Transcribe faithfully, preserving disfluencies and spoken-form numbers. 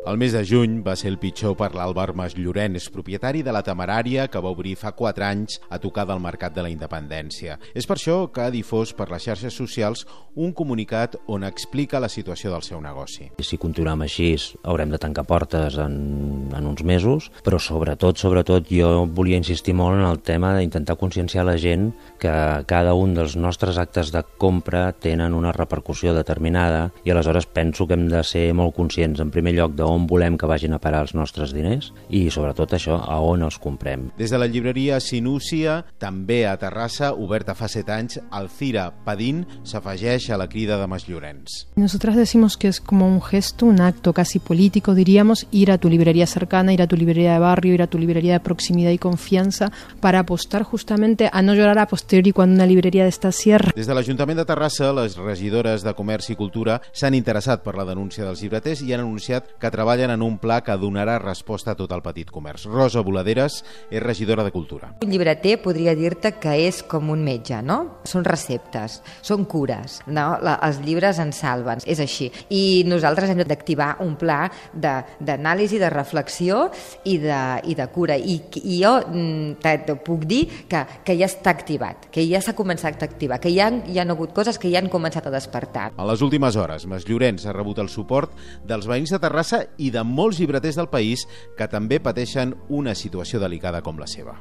El mes de juny va ser el pitjor per l'Àlvar Masllorens, propietari de la Temerària que va obrir fa quatre anys a tocar del Mercat de la Independència. És per això que ha difós per les xarxes socials un comunicat on explica la situació del seu negoci. Si continuem així, haurem de tancar portes en, en uns mesos, però sobretot, sobretot jo volia insistir molt en el tema d'intentar conscienciar la gent que cada un dels nostres actes de compra tenen una repercussió determinada i aleshores penso que hem de ser molt conscients, en primer lloc, d'on volem que vagin a parar els nostres diners i sobretot això, a on els comprem. Des de la llibreria Sinúcia, també a Terrassa, oberta fa set anys, Alcira Padín s'afegeix a la crida de Masllorens. Nosotras decimos que es como un gesto, un acto casi político, diríamos, ir a tu librería cercana, ir a tu librería de barrio, ir a tu librería de proximidad y confianza para apostar justamente a no llorar a posteriori cuando una librería de esta cierra. Des de l'Ajuntament de Terrassa, les regidores de Comerç i Cultura s'han interessat per la denúncia dels llibreters i han anunciat que treballen en un pla que donarà resposta a tot el petit comerç. Rosa Boladeres és regidora de Cultura. Un llibreter podria dir-te que és com un metge, no? Són receptes, són cures, no? La, els llibres ens salven, és així. I nosaltres hem d'activar un pla d'anàlisi, de, de reflexió i de, i de cura. I, i jo te, te puc dir que, que ja està activat, que ja s'ha començat a activar, que hi ha, hi ha hagut coses que ja han començat a despertar. En les últimes hores, Masllorens ha rebut el suport dels veïns de Terrassa i de molts llibreters del país que també pateixen una situació delicada com la seva.